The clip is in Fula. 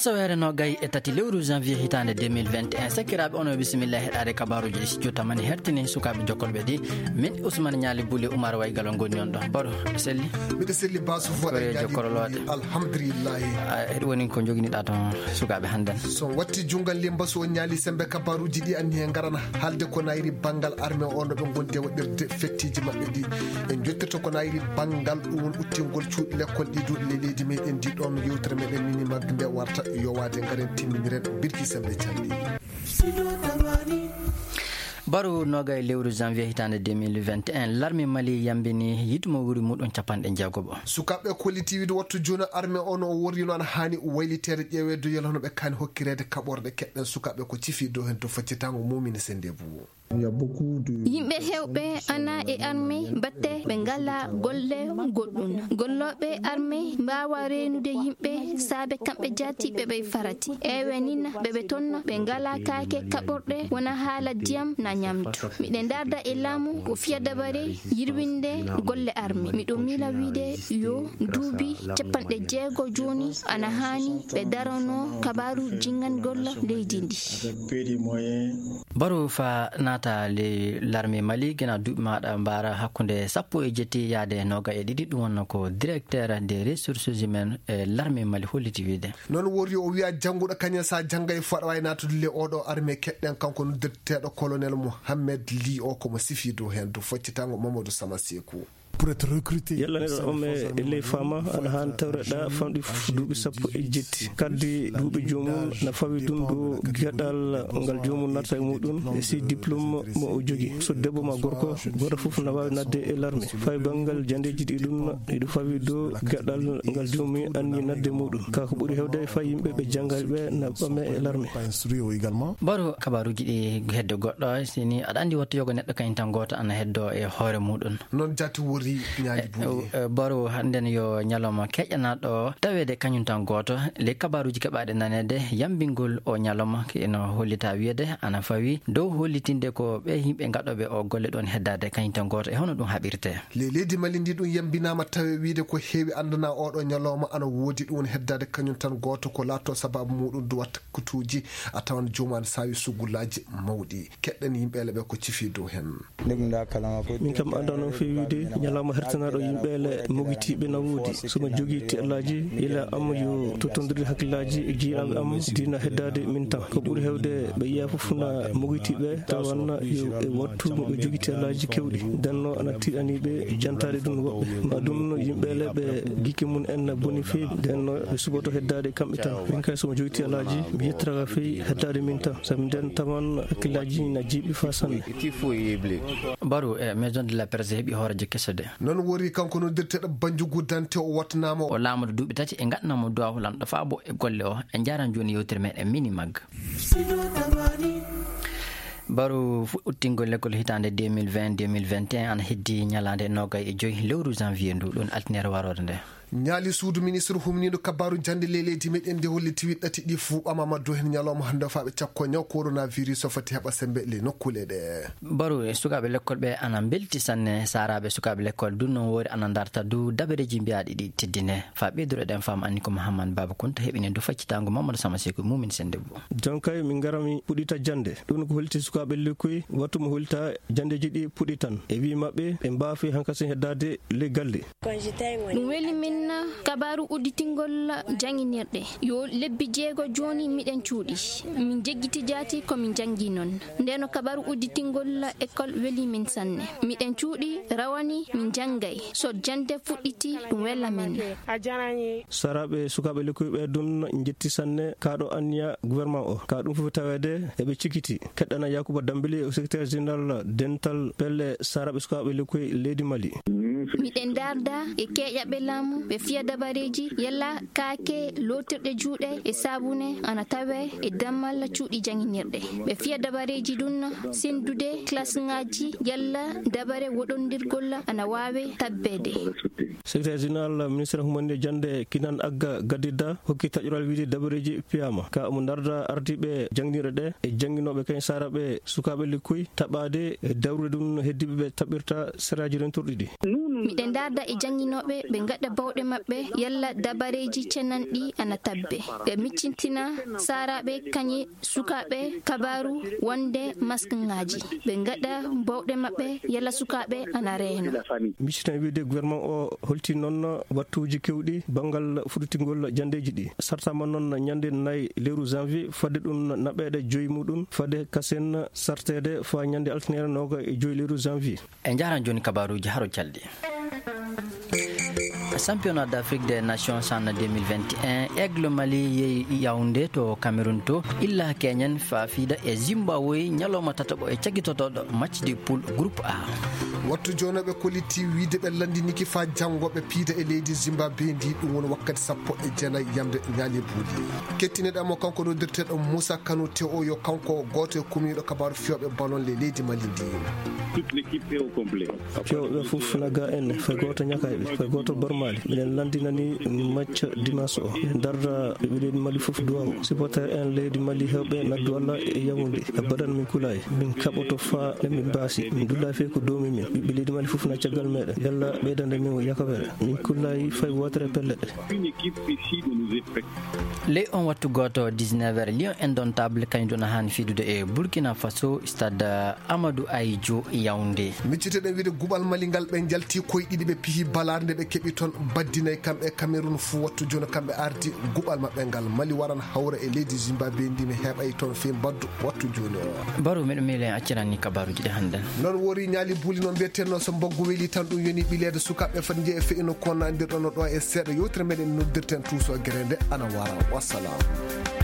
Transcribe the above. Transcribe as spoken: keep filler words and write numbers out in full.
Asaweere nogay e tati lewru janvier hitaande deux mille vingt et un, sakiraaɓe, onon bisimillahi heɗaade kabaaruuji ɗi studio tamani hertini sukaaɓe jokkolɓe ɗi. Min Ousmane Ñaali Buli Oumar Waygal on ngoni on ɗo. Baro, selli? Miɗo selli Basu Foɗa. Koye jokkorolooɗe. Alhamdulillahi. A, heɗo woni ko joginiɗa toon sukaaɓe hannden? So watti junngal limba so ñaali sembe kabaaruuji ɗi anni he ngarana haalde ko nayri banngal armée o no ɓe ngondi e waɗirde fettiiji maɓɓe ɗi. En jottirto ko nayri banngal ɗum woni uttingol cuuɗi lekkol ɗi duuɗi le leydi meɗen ndi ɗoon yewtere meɗen mini mag nde warta yowaade ngaren timminiren birki sembe calli. Baro nogay lewru janvier hitaande deux mille vingt et un, larme Mali yambini yiɗmo wuri muɗum capanɗe jeegoɓo. Sukaaɓe kollitiiwiide wattu jooni armée o no o worrino ana haani wayliteede ƴeeweede yolo no ɓe kaani hokkireede kaɓorɗe keɗɗen sukaaɓe ko cifi dow heen to faccitango mumini sende bu. Yimɓe heewɓe ana e armée batte ɓe ngala golle goɗɗum. Gollooɓe armée mbaawa reenude yimɓe saabe kamɓe jaatiiɓe ɓe farati. Ewe nina ɓe ɓe tonna ɓe ngala kaake kaɓorɗe wona haala diyam na ñamdu. Miɗen darda e laamu ko fiya dabare yirwinde golle armée. Miɗo miila wiide yo duuɓi capanɗe jeego jooni ana haani ɓe darano kabaaru jinngangol leydi ndi. Baro fa naata le larme Mali gina duuɓi maɗa mbaara hakkunde sappo e jetti yaade noga e ɗiɗi, ɗum wonno ko directeur des ressources humaines e larme Mali holliti wiide. Noon wori o wiya jannguɗo kañum sa jannga e foɗa wawi naatude le oɗo armée keɗɗen kanko noddirteeɗo colonel Mohamed Li o komo sifi dow heen dow foccitango Mamadou Sama Sekou. Yalla neɗɗo on e ley fama ana haani tawreɗa famɗi fof duuɓi sappo e jetti. Kaddi duuɓi joomum na fawi ɗum ɗo gaɗal ngal joomum natta e muɗum e si diplôme mo o jogi. So debbo ma gorko, goto fof na wawi nadde e larme. Fay banngal jandeji ɗi ɗum iɗo fawi ɗo gaɗal ngal joomum anni nadde muɗum. Ka ko ɓuri hewde fay yimɓe ɓe janngaɓe na ɓame e larme. Baro kabaruji ɗi heddo goɗɗo, sini aɗa andi wattu yogo neɗɗo kañum tan goto ana heddo e hoore muɗum. Noon jaati wori ñaali buuɗi. Eh, eh, Baro hannden yo ñalawma keƴanaɗo taweede kañum tan gooto. Ley kabaaruuji keɓaaɗe naneede, yambingol o ñalawma ino hollita wiyeede ana fawi dow hollitinde ko ɓe yimɓe gaɗooɓe o golle ɗoon heddaade kañum tan gooto. E hono ɗum haɓirte? Ley leydi Mali ndi ɗum yambinaama tawe wiide ko heewi anndana oɗo ñalawma ana woodi ɗum heddaade kañum tan gooto ko laatto sababu muɗum duwat kutuuji a tawan joomum ana saawi sugulaaji mawɗi. Keɗɗen yimɓe leɓe ko cifi dow heen. Min kam anndaa noon feewiide ñalawma hertanaaɗo yimɓe le mogitiiɓe na woodi. So mi jogii tiɗalaaji, yila am yo tottondirde hakkillaaji e jiyaaɓe am diina heddaade min tan. Ko ɓuri heewde ɓe yiya fof na mogitiiɓe tawanna yo e wattu mo ɓe jogii tiɗalaaji kewɗi. Ndenno ana tiɗani ɓe jantaade ɗum woɓɓe. Ma ɗum no yimɓe le ɓe gikke mum en na boni feewi. Ndenno ɓe suɓoto heddaade kamɓe tan. Min kay so mi jogii tiɗalaaji, mi yettiraka feewi heddaade min tan. Sabu nden tawan hakkillaaji na jiiɓi fa sanne. Baro e Maison de la Presse heɓi hooreejo keso de. Noon wori kanko noddirteeɗo Banjugu Dante o wattanaama. O laamuɗo duuɓi tati e ngaɗanaama duwaaw lanɗo faabo e golle o. En njaran jooni yewtere men e mini mag. Baro fu-, uttingol lekkol hitaande deux mille vingt, deux mille vingt et un ana heddi ñalaande nogay e joy lewru janvier ndu, ɗum altine waroore nde. Ñaali suudu ministre humniiɗo kabaaru jannde ley leydi meɗen nde holli tiwi ɗati ɗi fuu ɓamama dow heen ñalawma hannde o faaɓe cakko ñaw coronavirus o foti heɓa sembe ley nokkuule ɗe. Baro e sukaaɓe lekkol ɓe ana mbelti sanne, saaraaɓe sukaaɓe lekkol dun noon woori ana ndarta du dabareeji mbiyaaɗi ɗi teddine. Fa ɓeydoro ɗen fam anni ko Mouhammad Baba Kounta heɓini du faccitango Mamadou Sama Sekou Moumin Sendebou. Jonkay min ngarami puɗita jannde. Ɗum ko holti sukaaɓe lekkoy wattu mo holta janndeeji ɗi puɗitan. E wi maɓɓe ɓe mbaafi hankasi heddaade ley galle. Ɗum weli min kabaaru udditingol jannginirɗe. Yo lebbi jeego jooni miɗen cuuɗi. Min jeggiti jaati ko min janngi noon. Ndeno kabaaru udditingol école weli min sanne. Miɗen cuuɗi rawani min janngay. So jannde fuɗɗiti ɗum wela min. Saraaɓe sukaaɓe lekkoy ɓe ɗum njetti sanne kaaɗo anniya gouvernement o. Ka ɗum fof taweede eɓe cikiti. Keɗɗana Yakuba Dambili o secrétaire général dental pelle saraaɓe sukaaɓe lekkoy leydi Mali. Miɗen darda e keeƴaɓe laamu ɓe fiya dabareeji yalla kaake lootirɗe juuɗe e saabune ana tawe e dammal cuuɗi jannginirɗe. Ɓe fiya dabareeji ɗum senndude klasŋaaji yalla dabare woɗondirgol ana waawe tabbeede. Secrétaire général ministre humande jannde Kinan Agga Gadidda hokki taƴoral wiide dabareeji piyama. Ka omo darda ardiiɓe jannginirɗe ɗe e jannginooɓe kañ saraaɓe sukaaɓe lekkoy taɓaade e dawrude ɗum no heddiiɓe ɓe taɓirta seraaji rentorɗi ɗi. Miɗen ndaarda e jannginooɓe, ɓe ngaɗa bawɗe maɓɓe yalla dabareeji cenanɗi ana tabbe. Ɓe miccintina saaraaɓe kañe sukaaɓe kabaaru wonde maskŋaaji. Ɓe ngaɗa bawɗe maɓɓe yalla sukaaɓe ana reeno. Miccitan wiide gouvernement o holti noon wattuuji keewɗi banngal fuɗɗitingol janndeeji ɗi. Sartaama noon ñande nayi lewru janvier, fadde ɗum naɓeeɗe joyi muɗum, fadde kasen sarteede faa ñande altine nooga e joyi lewru janvier. En njaran jooni kabaaruuji haro calɗi. Championnat d'Afrique des Nations CHAN deux mille vingt et un, Aigle Mali yehi Yaoundé to Cameroun to illa keñen faa fiida e Zimbabwe ñalawma tataɓo e cagitotooɗo match de poule groupe A. Wattu jooni ɓe kollitii wiide ɓe lanndiniki faa janngo ɓe piida e leydi Zimbabwe ndi, ɗum woni wakkati sappo e jeenayi yamde ñaali buuli. Kettiniɗaa mo kanko noddirteeɗo Moussa Kanoute o, yo kanko gooto e kumiiɗo kabaaru fiyooɓe ballon le leydi Mali ndi. Toute l'équipe est au complet. Fiyooɓe fof na ga en, fay gooto ñakayɓe, fay gooto bormaali. Miɗen lanndinani match dimanche o. Miɗen darda ɓiɓɓe leydi Mali fof duwaw. Supporter en leydi Mali heewɓe naddu Allah e Yaoundé. Abadan min kulaay. Min kaɓoto faa nde min mbaasi. Min dullaay fey ko doomi min. Ɓiɓɓe leydi Mali fof na caggal meɗen. Yalla ɓeydande min yakobere. Min kullaay fay wootere pellet. Une équipe ici de nous effectifs. Ley on wattu gooto, dix-neuf heures, Lion Indomptable kañum ɗon haani fiidude e Burkina Faso, stade Amadou Ahidjo Yaoundé. Micciteɗen wiide guɓal Mali ngal, ɓe njalti koye ɗiɗi, ɓe pihi balaar nde ɓe keɓi toon baddinay kamɓe e Cameroun fuu. Wattu jooni kamɓe ardi guɓal maɓɓe ngal. Mali waran hawra e leydi Zimbabwe ndi ne heɓay toon fii mbaddu wattu jooni o. Baro, miɗo miile en acciran ni kabaaruuji ɗi hannden. Noon wori ñaali buuli no mbiyetenno, so mbaggu weli tan ɗum yoni ɓileede sukaaɓe fat njehe fe'ino ko nandirɗon no ɗo e seeɗa yewtere meɗen noddirten tuuso gere nde ana wara. Wassalam.